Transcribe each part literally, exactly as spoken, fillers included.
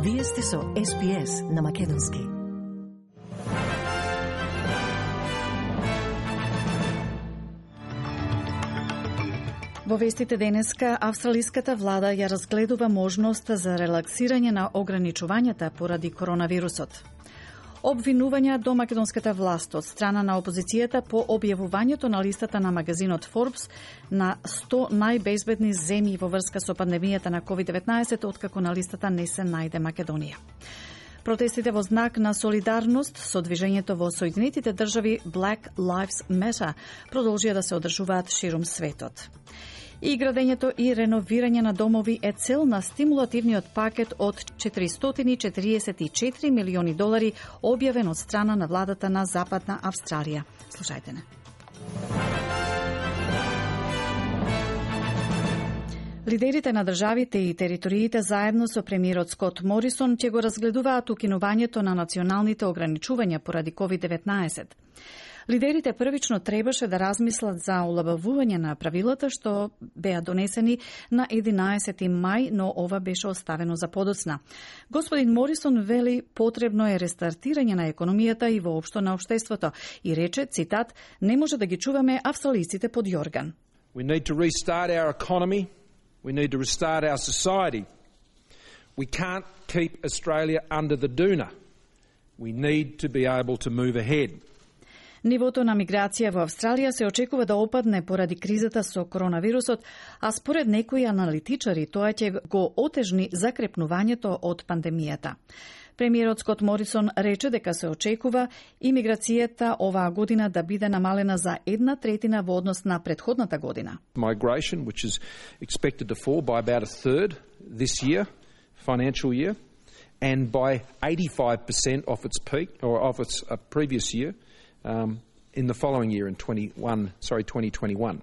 Вие сте со Ес Би Ес на Македонски. Во вестите денеска, австралиската влада ја разгледува можност за релаксирање на ограничувањата поради коронавирусот. Обвинувања до македонската власт од страна на опозицијата по објавувањето на листата на магазинот Forbes на сто најбезбедни земји во врска со пандемијата на ковид деветнаесет, откако на листата не се најде Македонија. Протестите во знак на солидарност со движењето во Соединетите држави Black Lives Matter продолжија да се одржуваат ширум светот. И градењето и реновирање на домови е цел на стимулативниот пакет од четиристотини и четириесет и четири милиони долари објавен од страна на владата на Западна Австралија. Слушајте не. Лидерите на државите и териториите заедно со премиерот Скот Морисон ќе го разгледуваат укинувањето на националните ограничувања поради ковид деветнаесет. Лидерите првично требаше да размислат за олабавување на правилата што беа донесени на единаесети мај, но ова беше оставено за подоцна. Господин Морисон вели потребно е рестартирање на економијата и воопшто на општеството и рече, цитат, не може да ги чуваме австралиците под јорган. We need to restart our economy. We need to restart our society. We can't keep Australia under the doona. We need to be able to move ahead. Нивото на миграција во Австралија се очекува да опадне поради кризата со коронавирусот, а според некои аналитичари тоа ќе го отежни закрепнувањето од пандемијата. Премиерот Скот Морисон рече дека се очекува имиграцијата оваа година да биде намалена за една третина во однос на претходната година. Migration, which is expected to fall by about a third this year, financial year, and by eighty-five percent off its peak or off its uh, previous year. Um, in the following year, in twenty-one, sorry, twenty twenty-one,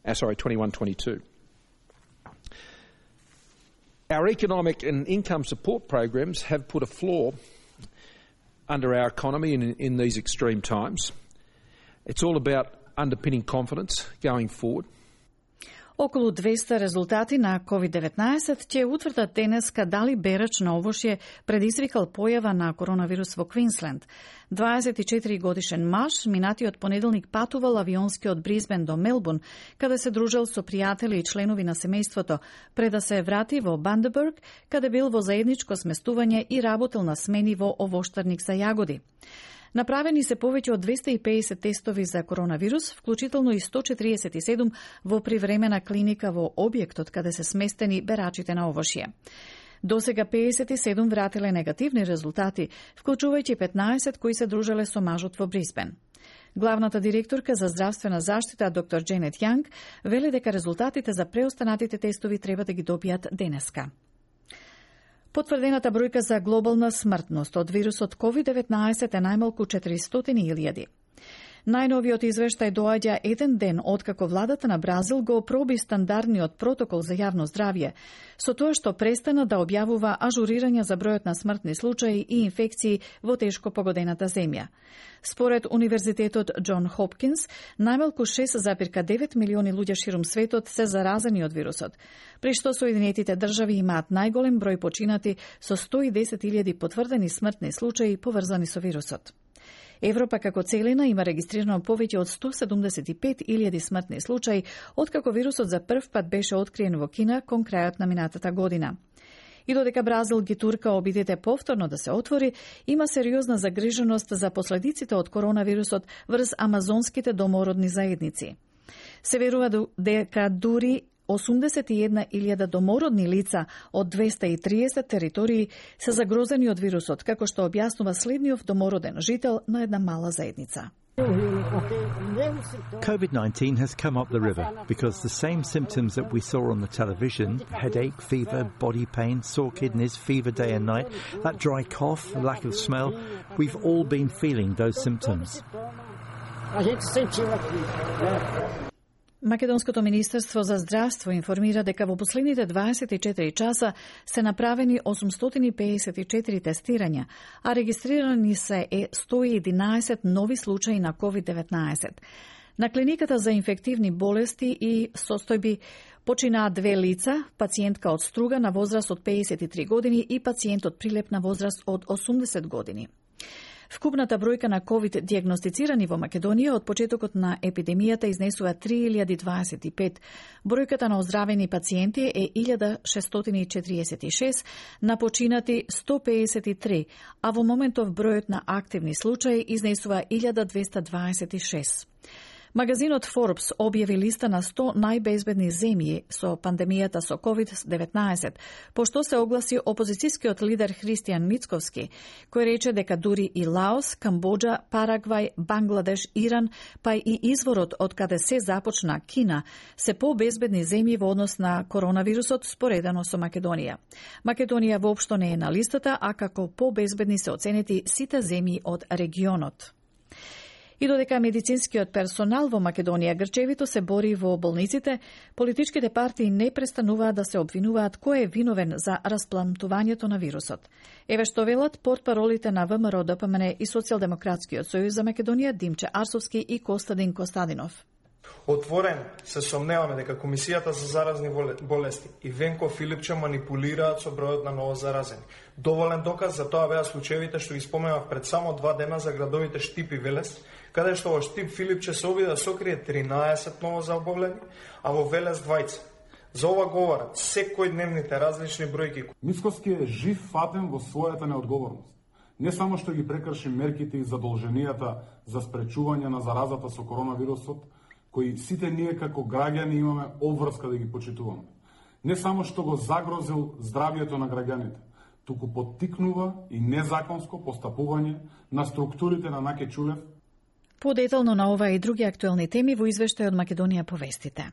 uh, sorry, twenty-one twenty-two. Our economic and income support programs have put a floor under our economy in, in these extreme times. It's all about underpinning confidence going forward. Околу двеста резултати на ковид деветнаесет ќе утврдат денеска дали берач на овошје предизвикал појава на коронавирус во Квинсленд. дваесет и четири годишен маж минатиот понеделник патувал авионски од Брисбен до Мелбурн, каде се дружел со пријатели и членови на семејството, пред да се врати во Бандербург, каде бил во заедничко сместување и работел на смени во овоштарник за јагоди. Направени се повеќе од двеста и педесет тестови за коронавирус, вклучително и сто четириесет и седум во привремена клиника во објектот каде се сместени берачите на овошје. Досега педесет и седум вратиле негативни резултати, вклучувајќи петнаесет кои се дружеле со мажот во Брисбен. Главната директорка за здравствена заштита, доктор Дженет Јанг, вели дека резултатите за преостанатите тестови треба да ги добијат денеска. Потврдената бројка за глобална смртност од вирусот ковид деветнаесет е најмалку четиристотини илјади. Најновиот извештај доаѓа еден ден откако владата на Бразил го проби стандардниот протокол за јавно здравје, со тоа што престана да објавува ажурирање за бројот на смртни случаи и инфекции во тешко погодената земја. Според Универзитетот Џон Хопкинс, најмалку шест зарез девет милиони луѓе ширум светот се заразени од вирусот, при што Соединетите држави имаат најголем број починати со сто и десет илјади потврдени смртни случаи поврзани со вирусот. Европа како целина има регистрирано повеќе од сто седумдесет и пет илјади смртни случаи, откако вирусот за прв пат беше откриен во Кина кон крајот на минатата година. И додека Бразил ги турка обидите повторно да се отвори, има сериозна загриженост за последиците од коронавирусот врз амазонските домородни заедници. Се верува дека дури осумдесет и една илјада домородни лица од двеста и триесет територии се загрозени од вирусот, како што објаснува следниот домороден жител на една мала заедница. COVID nineteen has come up the river because the same symptoms that we saw on the television, headache, fever, body pain, sore kidneys, fever day and night, that dry cough, lack of smell, we've all been feeling those symptoms. Македонското министерство за здравство информира дека во последните дваесет и четири часа се направени осумстотини и педесет и четири тестирања, а регистрирани се сто и единаесет нови случаи на ковид деветнаесет. На клиниката за инфективни болести и состојби починаа две лица, пациентка од Струга на возраст од пеесет и три години и пациент од Прилеп на возраст од осумдесет години. Вкупната бројка на ковид диагностицирани во Македонија од почетокот на епидемијата изнесува три илјади дваесет и пет. Бројката на оздравени пациенти е илјада шестстотини и четириесет и шест, на починати сто пеесет и три, а во моментов бројот на активни случаи изнесува илјада двеста дваесет и шест. Магазинот Forbes објави листа на сто најбезбедни земји со пандемијата со ковид деветнаесет, пошто се огласи опозицијскиот лидер Христијан Мицковски, кој рече дека дури и Лаос, Камбоџа, Парагвај, Бангладеш, Иран, па и изворот од каде се започна Кина, се побезбедни земји во однос на коронавирусот споредено со Македонија. Македонија воопшто не е на листата, а како побезбедни се оценети сите земји од регионот. И додека медицинскиот персонал во Македонија грчевито се бори во болниците, политичките партии не престануваат да се обвинуваат кој е виновен за расплантувањето на вирусот. Еве што велат портпаролите на ВМРО, ДПМН и Социјалдемократскиот сојуз за Македонија Димче Арсовски и Костадин Костадинов. Отворен се сомневаме дека Комисијата за заразни болести и Венко Филипче манипулираат со бројот на ново заразени. Доволен доказ за тоа беа случаевите што ги споменав пред само два дена за градовите Штип и Велес, каде што во Штип Филипче се обиде да сокрие тринаесет ново заболени, а во Велес двајца. За ова говорат секојдневните различни бројки. Мицковски е жив фатен во својата неодговорност. Не само што ги прекрши мерките и задолженијата за спречување на заразата со коронавирусот, кои сите ние како граѓани имаме обврска да ги почитуваме. Не само што го загрозил здравието на граѓаните, туку поттикнува и незаконско постапување на структурите на Наке Чулев. Подетално на ова и други актуелни теми во извештај од Македонија повестите.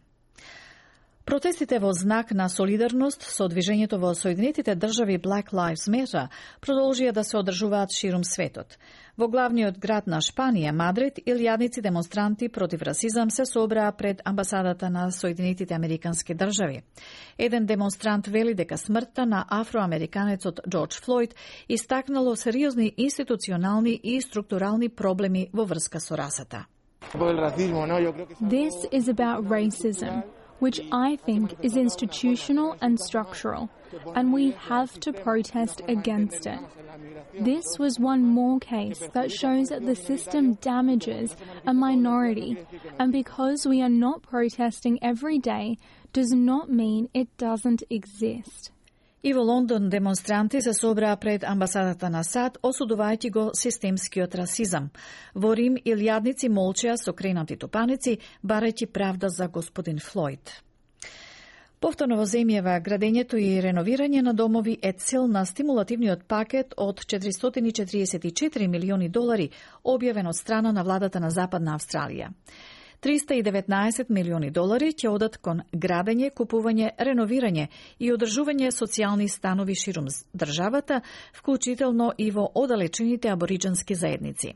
Протестите во знак на солидарност со движењето во Соединетите држави Black Lives Matter продолжија да се одржуваат ширум светот. Во главниот град на Шпанија, Мадрид, илјадници демонстранти против расизам се собраа пред амбасадата на Соединетите Американски држави. Еден демонстрант вели дека смртта на афроамериканецот Џорџ Флојд истакнало сериозни институционални и структурални проблеми во врска со расата. This is about racism, which I think is institutional and structural, and we have to protest against it. This was one more case that shows that the system damages a minority, and because we are not protesting every day does not mean it doesn't exist. И во Лондон демонстранти се собраа пред амбасадата на САД, осудувајќи го системскиот расизам. Во Рим илјадници молчеа со кренати топаници, барајќи правда за господин Флојд. Повторно во земјава, градењето и реновирање на домови е цел на стимулативниот пакет од четиристотини четириесет и четири милиони долари, објавен од страна на владата на Западна Австралија. триста и деветнаесет милиони долари ќе одат кон градење, купување, реновирање и одржување социјални станови ширум државата, вклучително и во оддалечените абориџански заедници.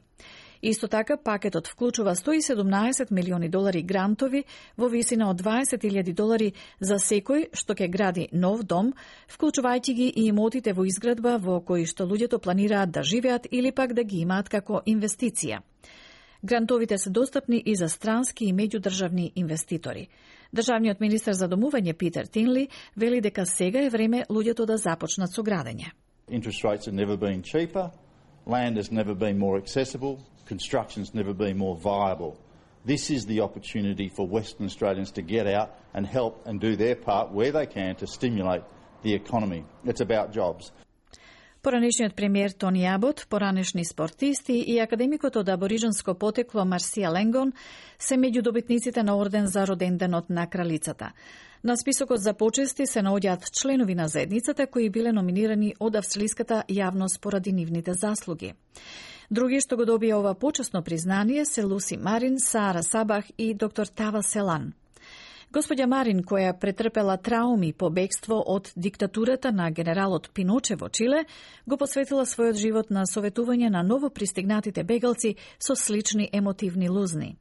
Исто така, пакетот вклучува сто и седумнаесет милиони долари грантови во висина од дваесет илјади долари за секој што ќе гради нов дом, вклучувајќи ги и имотите во изградба во кои што луѓето планираат да живеат или пак да ги имаат како инвестиција. Грантовите се достапни и за странски и меѓудржавни инвеститори. Државниот министер за домување Питер Тинли вели дека сега е време луѓето да започнат со градење. Interest rates have never been cheaper, land has never been more accessible, construction's never been more viable. This is the opportunity for Western Australians to get out and help and do their part where they can to stimulate the economy. It's about jobs. Поранешниот премиер Тони Абот, поранешни спортисти и академикот од абориџанско потекло Марсија Ленгон се меѓу добитниците на орден за роденденот на кралицата. На списокот за почести се наоѓаат членови на заедницата кои биле номинирани од австралиската јавност поради нивните заслуги. Други што го добија ова почесно признание се Луси Марин, Саара Сабах и доктор Тава Селан. Господја Марин, која претрпела трауми по бегство од диктатурата на генералот Пиноче во Чиле, го посветила својот живот на советување на ново пристигнатите бегалци со слични емотивни лузни.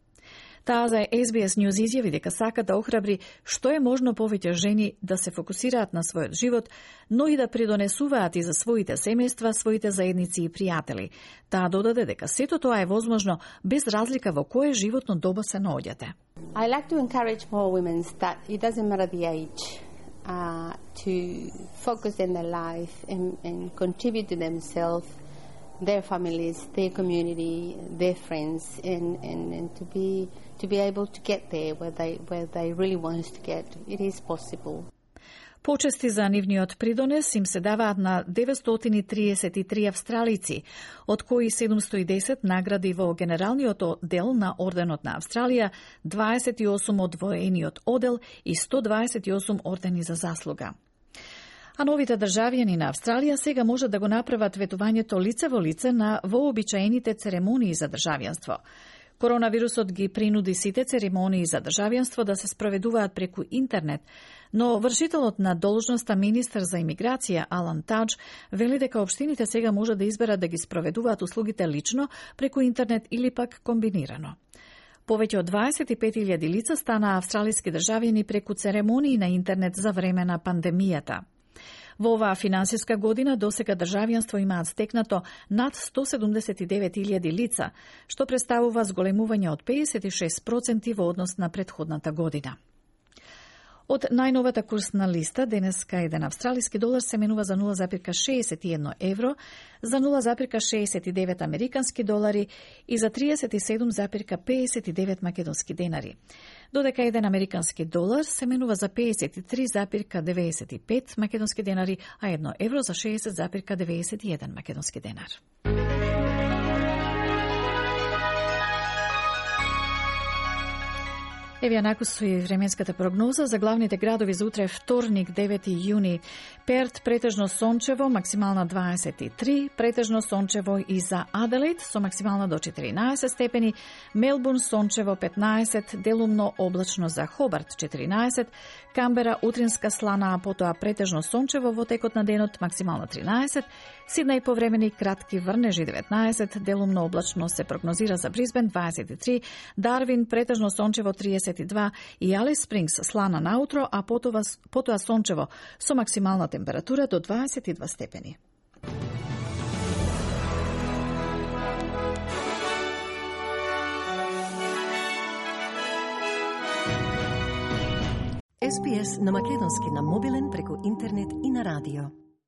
Таа за Ес Би Ес News изјави дека сака да охрабри што е можно повеќе жени да се фокусираат на својот живот, но и да придонесуваат и за своите семејства, своите заедници и пријатели. Таа додаде дека сето тоа е возможно без разлика во кое животно доба се наоѓате. I like to encourage more women that it doesn't matter the age uh, to focus in their life and, and contribute to themselves, their families, their community, their friends, and, and, and to be to be able to get there where they where they really want to get. It is possible. Почести за нивниот придонес им се даваат на деветстотини триесет и три австралици, од кои седумстотини и десет награди во Генералниот оддел на Орденот на Австралија, дваесет и осум од воениот оддел и сто дваесет и осум ордени за заслуга. А новите државјани на Австралија сега можат да го направат ветувањето лице во лице на вообичаените церемонии за државјанство. Коронавирусот ги принуди сите церемонии за државјанство да се спроведуваат преку интернет, но вршителот на должноста министер за имиграција Алан Тадж вели дека општините сега можат да изберат да ги спроведуваат услугите лично, преку интернет или пак комбинирано. Повеќе од дваесет и пет илјади лица стана австралиски државјани преку церемонии на интернет за време на пандемијата. Во оваа финансиска година досега државјанство имаат стекнато над сто седумдесет и девет илјади лица, што представува зголемување од педесет и шест проценти во однос на претходната година. Од најновата курсна листа, денеска еден австралиски долар се менува за нула зарез шеесет и едно евро, за нула зарез шеесет и девет американски долари и за триесет и седум зарез пеесет и девет македонски денари. Додека еден американски долар се менува за пеесет и три зарез деведесет и пет македонски денари, а едно евро за шеесет зарез деведесет и еден македонски денар. Еве ја накусуи временската прогноза за главните градови за утре вторник, девети јуни. Перт претежно сончево, максимална дваесет и три, претежно сончево и за Аделаид со максимална до четиринаесет степени, Мелбурн сончево петнаесет, делумно облачно за Хобарт четиринаесет, Камбера утринска слана, а потоа претежно сончево во текот на денот, максимална тринаесет, Сиднеј повремени кратки врнежи деветнаесет, делумно облачно се прогнозира за Брисбен дваесет и три, Дарвин претежно сончево триесет и два и Алис Спрингс слана наутро, а потоа, потоа сончево со максимална температура до дваесет и два степени. Ес Би Ес на македонски на мобилен преку интернет и на радио.